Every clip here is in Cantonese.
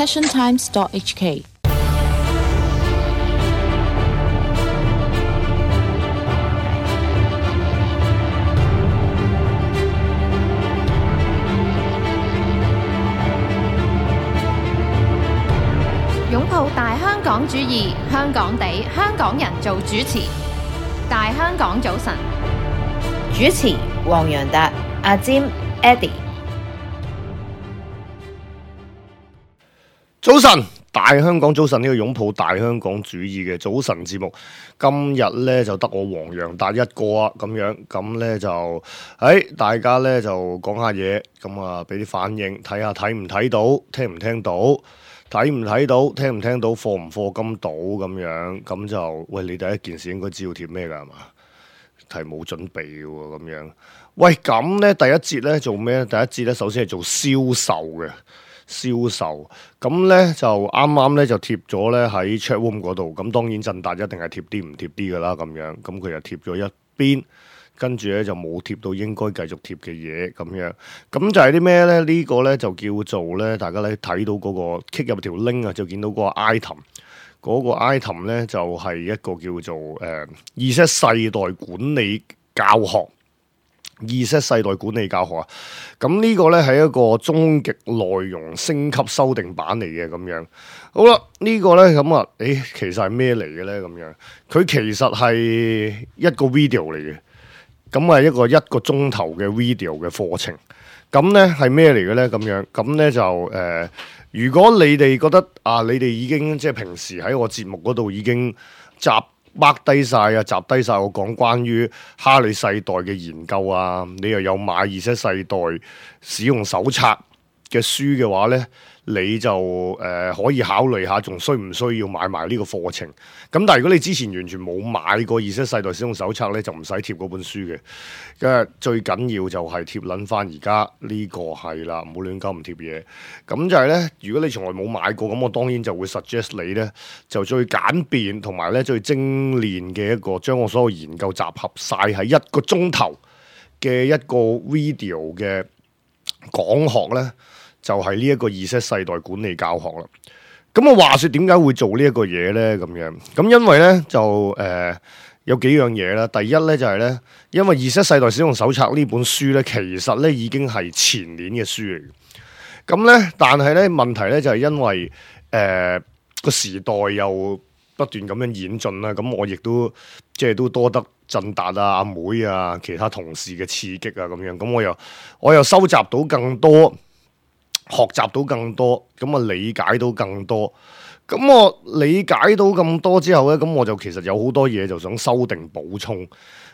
passiontimes.hk。擁抱大香港主義，香港地，香港人做主持。大香港早晨，主持黃洋達、阿占、Eddie。早晨，大香港早晨，呢個擁抱大香港主義嘅早晨節目，今日呢就得我黃洋達一個啊，咁樣咁呢就大家呢就講下嘢，咁啊俾啲反應，睇下睇唔睇到，聽唔聽到。睇唔睇到，聽唔聽到，課唔課金到咁樣，咁就喂，你第一件事應該知道貼咩㗎係嘛？係冇準備嘅喎，咁樣。喂，咁咧第一節咧做咩咧？第一節咧首先係做銷售嘅銷售，咁咧就啱啱咧就貼咗咧喺 chatroom 嗰度，咁當然振達一定係貼啲唔貼啲㗎啦，咁樣，咁佢就貼咗一邊。跟住咧就冇貼到應該繼續貼嘅嘢咁樣，咁就係啲咩咧？呢個咧就叫做咧，大家咧睇到嗰個 click 入條 link 啊，就見到嗰個 item，嗰個 item 咧就係一個叫做Z 世代管理教學，Z 世代管理教學啊。咁呢個咧係一個終極內容升級修訂版嚟嘅咁樣。好啦，呢個咧咁啊，其實係咩嚟嘅咧？咁樣佢其實係一個 video 嚟嘅。咁係一個鐘頭嘅 video 嘅課程，咁咧係咩嚟嘅咧？咁樣，咁咧就如果你哋覺得啊，你哋已經即係平時喺我節目嗰度已經集低晒我講關於哈利世代嘅研究啊，你又有買Z世代使用手冊嘅書嘅話咧，你就可以考慮下，仲需唔需要買埋呢個課程？咁但係如果你之前完全冇買過Z世代使用手冊咧，就唔使貼嗰本書嘅。因為最緊要就係貼撚翻而家呢個係啦，唔好亂鳩唔貼嘢。咁就係咧，如果你從來冇買過，咁我當然就會 suggest 你咧，就最簡便同埋咧最精煉嘅一個，將我所有研究集合晒喺一個鐘頭嘅一個 video 嘅講學咧。就係呢一個Z世代管理教學啦。咁我話說點解會做呢一個嘢咧？咁樣咁因為咧就有幾樣嘢啦。第一咧就係咧，因為Z世代使用手冊呢本書咧，其實咧已經係前年嘅書嚟嘅。咁咧，但係咧問題咧就係因為個時代又不斷咁樣演進啦。咁我亦都即係都多得振達啊、阿妹啊、其他同事嘅刺激啊咁樣。咁我又收集到更多。學習到更多，咁啊理解到更多，咁我理解到咁多之後咧，咁我就其實有好多嘢就想修訂補充。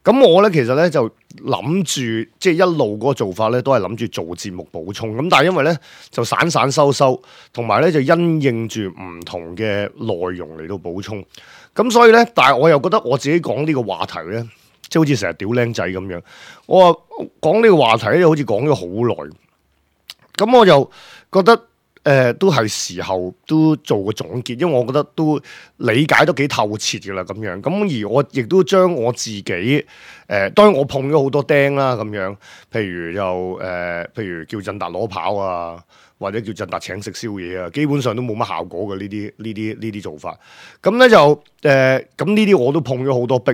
咁我咧其實咧就諗住，即係一路嗰個做法咧都係諗住做節目補充。咁但係因為咧就散收，同埋咧就因應住唔同嘅內容嚟到補充。咁所以咧，但係我又覺得我自己講呢個話題咧，即係好似成日屌僆仔咁樣。我話講呢個話題咧，好似講咗好耐。咁我就覺得都係時候都做個總結，因為我覺得都理解都幾透徹嘅啦咁樣。咁而我亦都將我自己當然我碰咗好多釘啦咁樣，譬如叫振達攞跑啊，或者叫振達請食宵夜啊，基本上都冇乜效果嘅呢啲做法。咁咧就咁呢啲我都碰咗好多壁。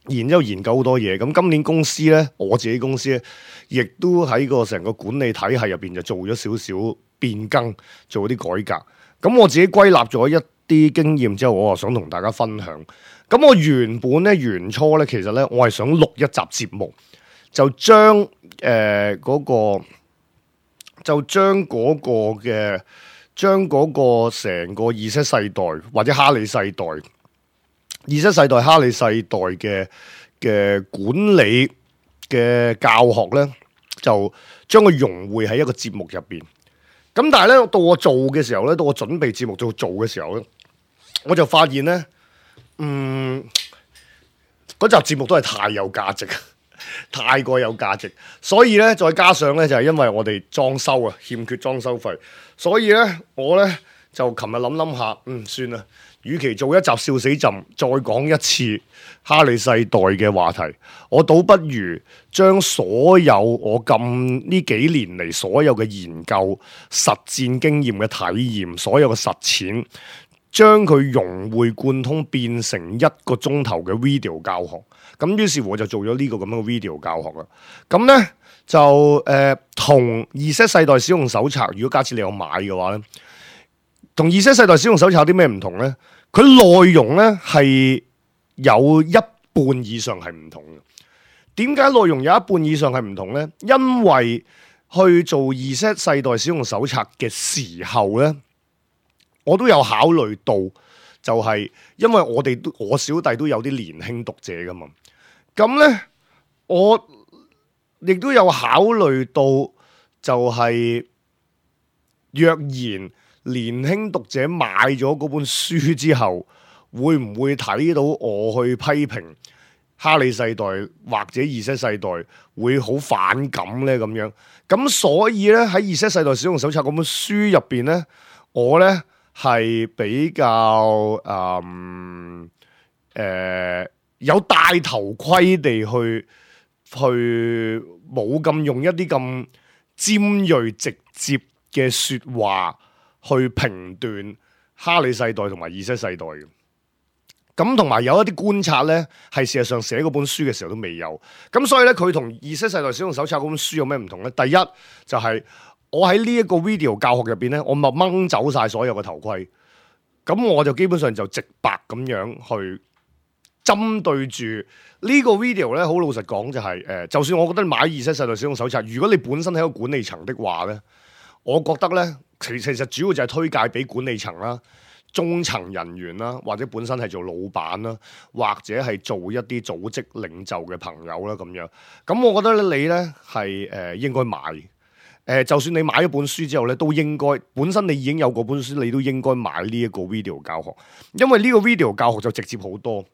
然之後研究好多嘢，咁今年公司咧，我自己公司咧，亦都喺個成個管理體系入邊就做咗少少變更，做啲改革。咁我自己歸納咗一啲經驗之後，我就想同大家分享。咁我原初咧，其實咧，我係想錄一集節目，就將嗰個成個Z世代或者哈利世代。Z世代、哈利世代嘅管理嘅教學咧，就將佢融匯喺一個節目入邊。咁但係咧，到我做嘅時候咧，到我準備節目做嘅時候咧，我就發現咧，嗰集節目都係太有價值，太過有價值。所以咧，再加上咧，就係因為我哋裝修啊，欠缺裝修費，所以咧，我咧就琴日諗下，算啦。與其做一集笑死朕，再講一次哈利世代嘅話題，我倒不如將所有我呢幾年嚟所有嘅研究、實戰經驗嘅體驗、所有嘅實踐，將佢融會貫通，變成1個鐘頭嘅 video 教學。咁於是乎我就做咗呢個咁樣嘅 video 教學啦。咁呢，就同 Z 世代使用手冊，如果假設你有買嘅話呢，同 Z 世代使用手冊有啲咩唔同呢？佢內容呢係有一半以上係唔同嘅。點解內容有一半以上係唔同呢？因為去做 Z 世代使用手冊嘅時候呢，我都有考慮到，就係因為我小弟都有啲年輕讀者噶嘛。咁呢，我亦都有考慮到，就係若然年輕讀者買咗嗰本書之後，會唔會睇到我去批評哈利世代或者 Z 世代會好反感呢？咁樣，咁所以呢，喺 Z 世代使用手冊嗰本書入邊呢，我呢係比較有戴頭盔地去冇咁用一啲咁尖銳直接嘅說話去評斷哈利世代同埋 Z 世代嘅。咁同埋有一啲觀察呢，係事實上寫嗰本書嘅時候都未有。咁所以呢，佢同 Z 世代使用手冊嗰本書有咩唔同呢？第一就係我喺呢一個 video 教學入邊呢，我咪掹走晒所有嘅頭盔。咁我就基本上就直白咁樣去針對住呢個 video 呢，好老實講就係就算我覺得你買 Z 世代使用手冊，如果你本身係一個管理層的話呢，我覺得呢，其實主要就係推介俾管理層啦、中層人員啦，或者本身係做老闆啦，或者係做一啲組織領袖嘅朋友啦咁樣。咁我覺得你呢係應該買。就算你買咗本書之後咧，都應該本身你已經有嗰本書，你都應該買呢一個 video 教學，因為呢個 video 教學就直接好多，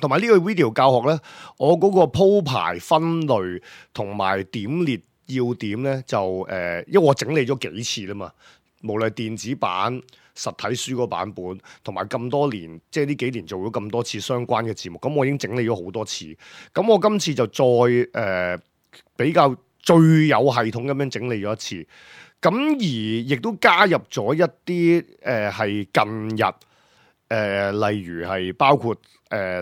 同埋呢個 video 教學咧，我嗰個鋪排分類同埋點列要點咧，就因為我整理咗幾次啦嘛，無論電子版、實體書嗰版本，同埋咁多年，即係呢幾年做咗咁多次相關嘅節目，咁我已經整理咗好多次，咁我今次就再比較最有系統咁樣整理咗一次，咁而亦都加入咗一啲係近日例如係包括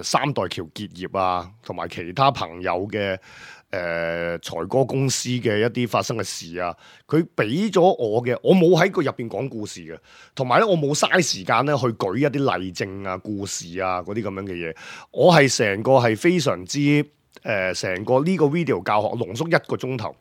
三代橋結業啊，同埋其他朋友嘅財哥公司嘅一啲發生嘅事啊，佢俾咗我嘅，我冇喺個入邊講故事嘅，同埋咧我冇嘥時間咧去舉一啲例證啊、故事啊嗰啲咁樣嘅嘢，我係成個係非常之。成個呢個 video 教學濃縮1個鐘頭，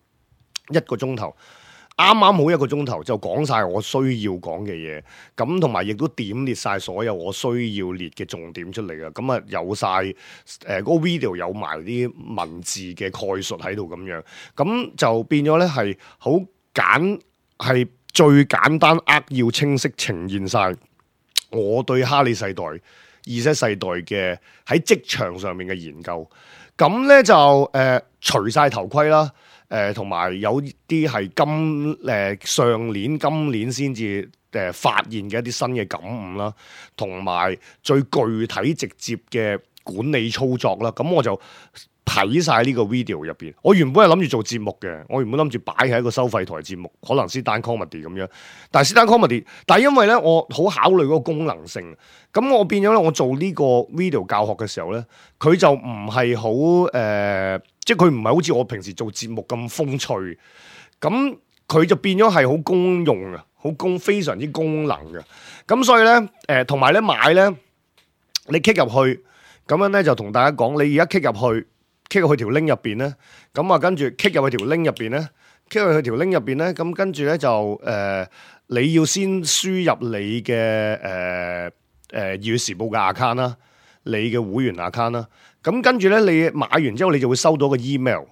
啱啱好1個鐘頭就講晒我需要講嘅嘢，咁同埋亦都點列晒所有我需要列嘅重點出嚟嘅，咁啊有晒嗰個 video 有埋啲文字嘅概述喺度咁樣，咁就變咗咧係好係最簡單扼要清晰呈現晒我對哈利世代、Z 世代嘅喺職場上面嘅研究。咁咧就除晒頭盔啦，同埋有啲係今年先至發現嘅一啲新嘅感悟啦，同埋最具體直接嘅管理操作啦。咁我就睇晒呢個 video 入邊。我原本係諗住做節目嘅，我原本諗住擺喺一個收費台節目，可能 stand comedy 咁樣。但係 stand comedy，但係因為咧我好考慮嗰個功能性，咁我變咗咧我做呢個 video 教學嘅時候咧，佢就唔係好即係佢唔係好似我平時做節目咁風趣，咁佢就變咗係好公用啊，非常之功能嘅。咁所以咧同埋咧買咧，你 click 入去咁樣咧就同大家講，你而家 click 入去條 link 入邊咧，咁啊跟住 click 入去條 link 入邊咧 click 入去條 link 入邊咧，咁跟住咧就你要先輸入你嘅《粵語時報》嘅 account 啦，你嘅會員 account 啦，咁跟住咧你買完之後，你就會收到個 email，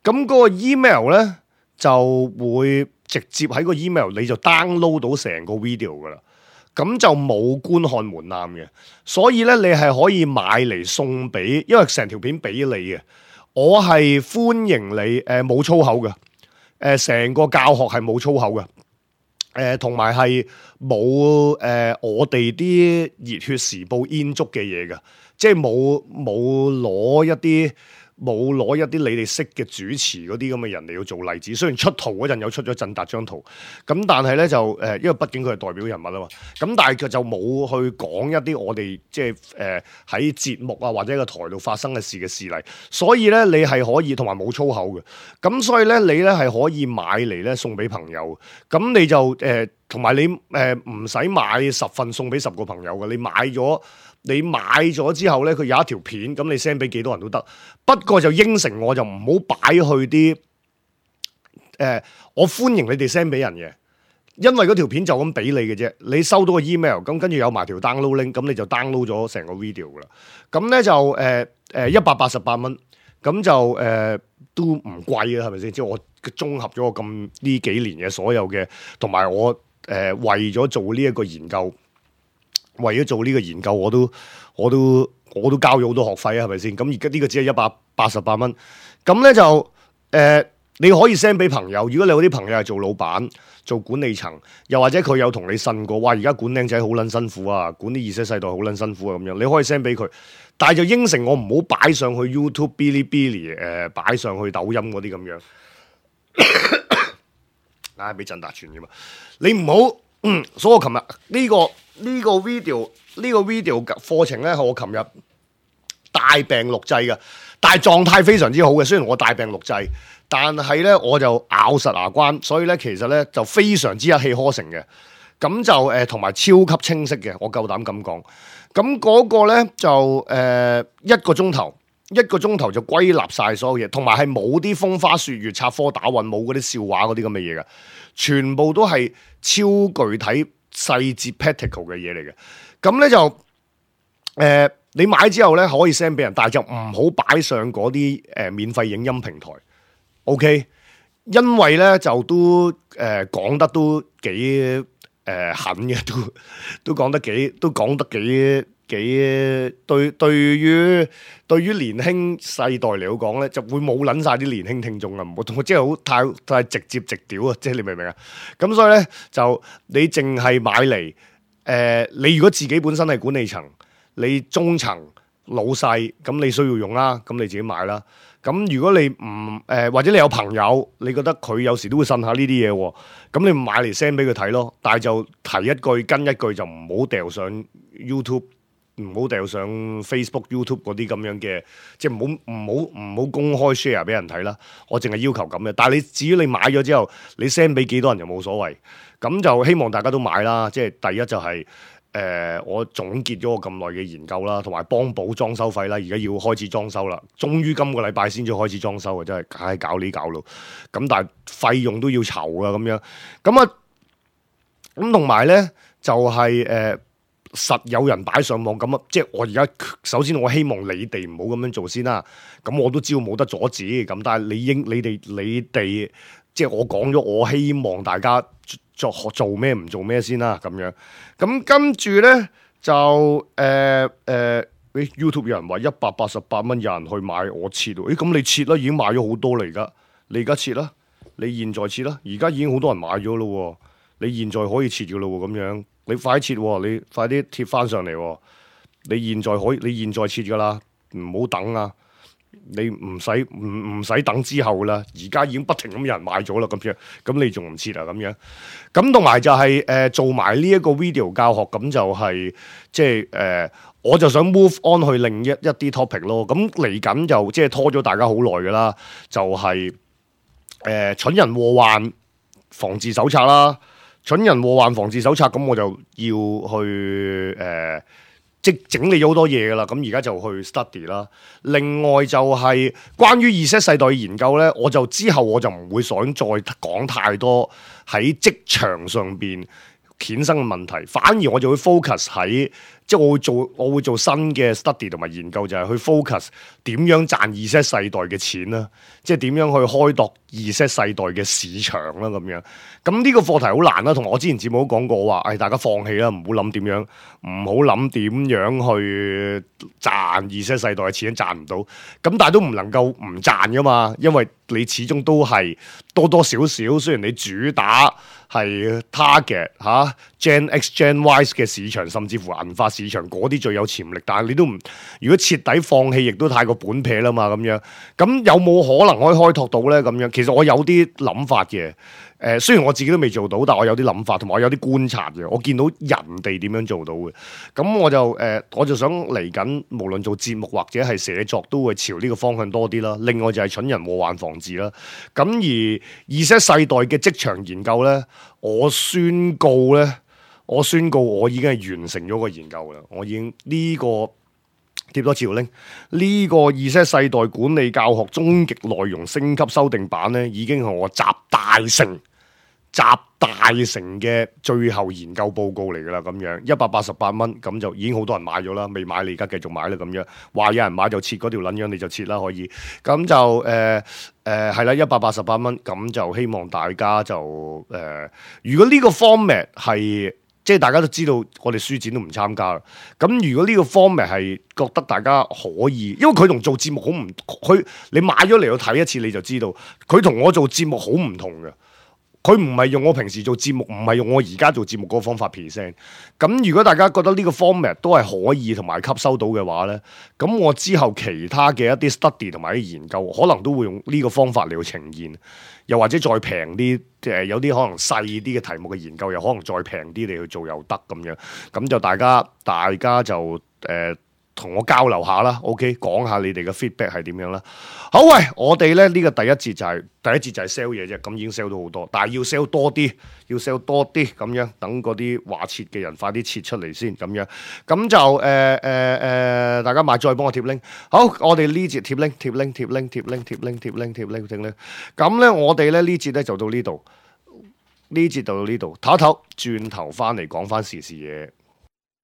咁嗰個 email 咧就會直接喺個 email 你就 download 到成個 video 噶啦。咁就冇觀看門檻嘅，所以咧你係可以買嚟送俾，因為成條片俾你嘅。我係歡迎你，冇粗口嘅，成個教學係冇粗口嘅。同埋係冇我哋啲熱血時報煙燭嘅嘢㗎，即係冇攞一啲你哋識嘅主持嗰啲咁嘅人嚟要做例子。雖然出圖嗰陣有出咗振達張圖，咁但係咧就因為畢竟佢係代表人物啊嘛，咁但係佢就冇去講一啲我哋即係喺節目啊或者個台度發生嘅事嘅事例。所以咧你係可以同埋冇粗口嘅，咁所以咧你咧係可以買嚟咧送俾朋友，咁你就同埋你唔使買10份送俾10個朋友嘅，你買咗之後咧，佢有一條片，咁你 send 俾幾多人都得。不過就應承我就唔好擺去啲我歡迎你哋 send 俾人嘅，因為嗰條片就咁俾你嘅啫。你收到個 email，咁跟住有埋條 download link，咁你就 download 咗成個 video 噶啦。咁咧就188蚊，咁就都唔貴啊，係咪先？即係我綜合咗我咁呢幾年嘅所有嘅，同埋我為咗做呢一個研究。為咗做呢個研究，我都交咗好多學費啊，係咪先？咁而家呢個只係188蚊，咁咧就你可以 send 俾朋友。如果你有啲朋友係做老闆、做管理層，又或者佢有同你呻過，哇！而家管僆仔好撚辛苦啊，管啲Z世代好撚辛苦啊，咁樣你可以 send 俾佢，但係就應承我唔好擺上去 YouTube、Bilibili 擺上去抖音嗰啲咁樣。唉，俾振達傳㗎嘛，你唔好。所以我琴日呢個 video 課程咧，係我琴日大病錄製嘅，但係狀態非常之好嘅。雖然我大病錄製，但係咧我就咬實牙關，所以咧其實咧就非常之一氣呵成嘅。咁就同埋超級清晰嘅，我夠膽咁講。咁嗰個咧就1個鐘頭就歸納晒所有嘢，同埋係冇啲風花雪月、插科打諢，冇嗰啲笑話嗰啲咁嘅嘢嘅，全部都係超具體細節 practical 嘅嘢嚟嘅。咁咧就你買之後咧可以 send 俾人，但係就唔好擺上嗰啲免費影音平台。OK， 因為咧就都講得都幾狠嘅，都講得幾對於年輕世代嚟講咧，就會冇撚晒啲年輕聽眾啊！唔好即係好太直接直屌啊！即係你明唔明啊？咁所以咧就你淨係買嚟你如果自己本身係管理層，你中層老細，咁你需要用啦，咁你自己買啦。咁如果你唔或者你有朋友，你覺得佢有時都會呻下呢啲嘢喎，咁你買嚟 send 俾佢睇咯。但係就提一句跟一句，就唔好掉上 YouTube。唔好掉上 Facebook、YouTube 嗰啲咁樣嘅，即係唔好公開 share 俾人睇啦。我淨係要求咁嘅。但係你至於你買咗之後，你 send 俾幾多人就冇所謂。咁就希望大家都買啦。即係第一就係我總結咗我咁耐嘅研究啦，同埋幫補裝修費啦。而家要開始裝修啦，終於今個禮拜先至開始裝修啊！真係唉搞呢搞路。咁但係費用都要籌啊咁樣。咁同埋咧就係實有人擺上網咁啊！即係我而家首先我希望你哋唔好咁樣做先啦。咁我都知道冇得阻止，咁但係你哋即係我講咗，我希望大家做咩唔做咩先啦咁樣。咁跟住咧就YouTube 有人話188蚊有人去買，我切喎。咁你切啦，已經買咗好多啦。你而家切啦，你現在切啦，而家已經好多人買咗咯。你現在可以切嘅咯喎，咁樣。你快啲切，你快啲貼翻上嚟。你現在切噶啦，唔好等啊！你唔使等之後啦，而家已經不停咁有人買咗啦，咁樣，咁你仲唔切啊？咁樣，咁同埋就係做埋呢一個 video 教學，咁就係即係我就想 move on 去另一啲 topic 咯。咁嚟緊就即係拖咗大家好耐噶啦，就係蠢人禍患防治手冊啦。蠢人禍患防治手冊，咁我就要去即整理咗好多嘢噶啦，咁而家就去 study 啦。另外就係關於 Z 世代嘅研究咧，之後我就唔會想再講太多喺職場上邊衍生嘅問題，反而我就會 focus 喺即係我會做新嘅 study 同埋研究，就係去 focus 點樣賺 Z 世代嘅錢啦，即係點樣去開拓 Z 世代嘅市場啦咁樣。咁呢個課題好難啦，同埋我之前節目都講過話，大家放棄啦，唔好諗點樣去賺 Z 世代嘅錢，賺唔到。咁但係都唔能夠唔賺噶嘛，因為你始終都係多多少少，雖然你主打係 target Gen X、Gen Y 嘅市場，甚至乎銀髮市場嗰啲最有潛力。但係你都唔，如果徹底放棄，亦都太過本撇啦嘛咁樣。咁有冇可能可以開拓到咧？咁樣其實我有啲諗法嘅。雖然我自己都未做到，但我有啲諗法，同埋我有啲觀察嘅。我見到人哋點樣做到嘅，咁我就想嚟緊，無論做節目或者係寫作，都會朝呢個方向多啲啦。另外就係蠢人禍患防治啦。咁而Z世代嘅職場研究咧，我宣告我已經係完成咗個研究啦。我已經呢個貼多次條 link，呢個Z世代管理教學終極內容升級修訂版咧，已經係我集大成嘅最後研究報告嚟噶啦，咁樣188蚊，咁就已經好多人買咗啦，未買你而家繼續買啦，咁樣話有人買就切嗰條撚樣，你就切啦，可以，咁就係啦，188蚊，咁就希望大家就如果呢個 format 係即係大家都知道，我哋書展都唔參加啦。咁如果呢個 format 係覺得大家可以，因為佢同做節目好唔，你買咗嚟去睇一次你就知道，佢同我做節目好唔同嘅。佢唔係用我平時做節目，唔係用我而家做節目嗰個方法 present。咁如果大家覺得呢個 format 都係可以同埋吸收到嘅話呢，咁我之後其他嘅一啲 study 同埋啲研究，可能都會用呢個方法嚟去呈現，又或者再平啲，有啲可能細啲嘅題目嘅研究，又可能再平啲嚟去做又得咁樣。咁就大家就同我交流下啦 ，OK， 講下你哋嘅 feedback 係點樣啦。好，喂，我哋咧呢個第一節就係 sell 嘢啫，咁已經 sell 到好多，但係要 sell 多啲，咁樣，等嗰啲話切嘅人快啲切出嚟先，咁樣，咁就大家買再幫我貼 link。好，我哋呢節貼 link，咁咧我哋咧呢節咧就到呢度，唞一唞，轉頭翻嚟講翻時事嘢。